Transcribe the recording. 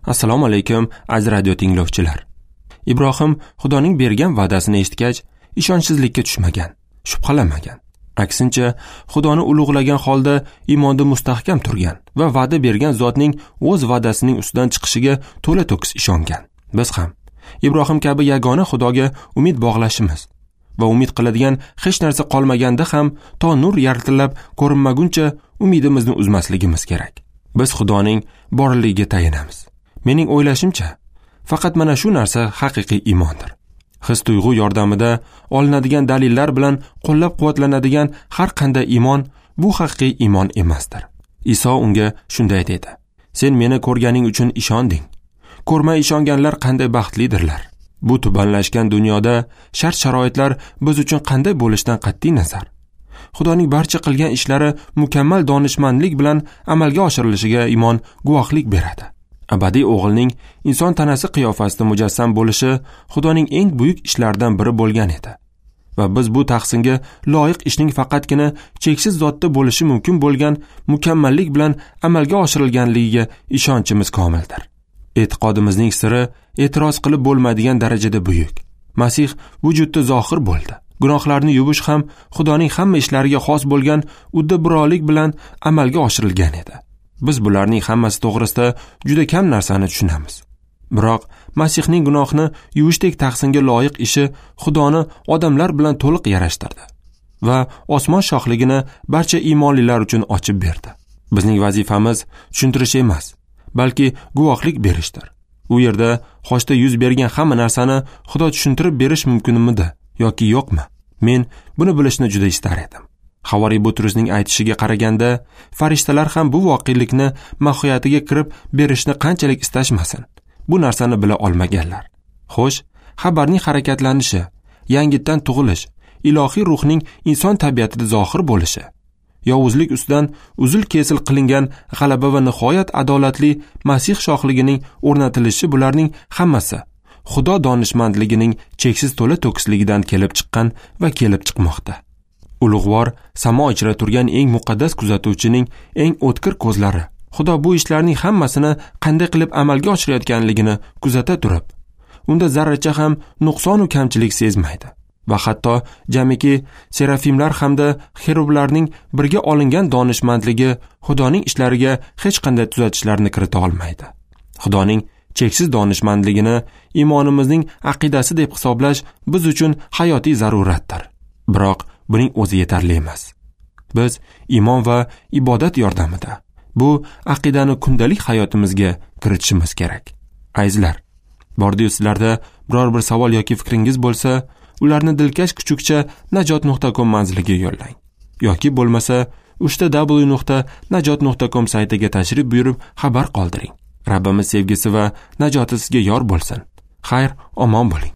Assalomu alaykum, aziz radio tinglovchilar. Ibrohim Xudoning bergan va'dasini eshitgach, ishonchsizlikka tushmagan, shubhalanmagan. Aksincha, Xudoni ulug'lagan holda iymonda mustahkam turgan va va'da bergan zotning o'z va'dasining ustidan chiqishiga to'la to'kis ishongan. Biz ham Ibrohim kabi yagona Xudoga umid bog'lashimiz va umid qiladigan hech narsa qolmaganda ham to nur yartillab ko'rinmaguncha umidimizni uzmasligimiz kerak. Biz Xudoning borligiga tayanamiz. Mening o'ylashimcha, faqat mana shu narsa haqiqiy iymondir. His tuyg'u yordamida olinadigan dalillar bilan qo'llab-quvvatlanadigan har qanday iymon bu haqiqiy iymon emasdir. Iso unga shunday dedi: "Sen meni ko'rganing uchun ishonding. Ko'rmay ishonganlar qanday baxtlidirlar." Bu tubanlashgan dunyoda shart-sharoitlar biz uchun qanday bo'lishidan qat'iy nazar, Xudoning barcha qilgan ishlari mukammal donishmandlik bilan amalga oshirilishiga iymon guvohlik beradi. Abadiy o'g'ilning inson tanasi qiyofasida mujassam bo'lishi Xudoning eng buyuk ishlaridan biri bo'lgan edi. Va biz bu tahsinga loyiq ishning faqatgina cheksiz zotda bo'lishi mumkin bo'lgan mukammallik bilan amalga oshirilganligiga ishonchimiz komildir. E'tiqodimizning siri e'tiroz qilib bo'lmaydigan darajada buyuk. Masih vujudda zohir bo'ldi. Gunohlarni yuvish ham Xudoning hamma ishlariga xos bo'lgan uddaburolik bilan amalga oshirilgan edi. Biz bularning hammasi to'g'risida juda kam narsani tushunamiz. Biroq Masihning gunohni yuvishdek tahsinga loyiq ishi Xudoni odamlar bilan to'liq yarashtirdi va osmon shohligini barcha iymonlilar uchun ochib berdi. Bizning vazifamiz tushuntirish emas, balki guvohlik berishdir. U yerda xochda yuz bergan hamma narsani Xudo tushuntirib berish mumkinmidi yoki yo'qmi? Men buni bilishni juda istar edim. Havoriy Butrusning aytishiga qaraganda, farishtalar ham bu voqelikni mohiyatiga kirib berishni qanchalik istashmasin, bu narsani bila olmaganlar. Xo'sh, xabarning harakatlanishi, yangitdan tug'ilish, ilohiy ruhning inson tabiatida zohir bo'lishi, yovuzlik ustidan uzil-kesil qilingan g'alaba va nihoyat adolatli Masih shohligining o'rnatilishi, bularning hammasi Xudo donishmandligining cheksiz to'la to'kisligidan kelib chiqqan va kelib chiqmoqda. Ulug'vor samo ichra turgan eng muqaddas kuzatuvchining eng o'tkir ko'zlari Xudo bu ishlarning hammasini qanday qilib amalga oshirayotganligini kuzata turib, unda zarracha ham nuqson va kamchilik sezmaydi. Va hatto jamiki serafimlar hamda xerublarning birga olingan donishmandligi Xudoning ishlariga hech qanday tuzatishlarni kirita olmaydi. Xudoning cheksiz donishmandligini iymonimizning aqidasi deb hisoblash biz uchun hayotiy zaruratdir. Biroq buning o'zi yetarli emas. Biz iymon va ibodat yordamida bu aqidani kundalik hayotimizga kiritishimiz kerak. Azizlar, bordi-yu sizlarda biror bir savol yoki fikringiz bo'lsa, ularni dilkash kuchukcha najot.com manziliga yo'llang. Yoki bo'lmasa www.najot.com saytiga tashrif buyurib xabar qoldiring. Rabbimiz sevgisi va najoti sizga yor bo'lsin. Xayr, omon bo'ling.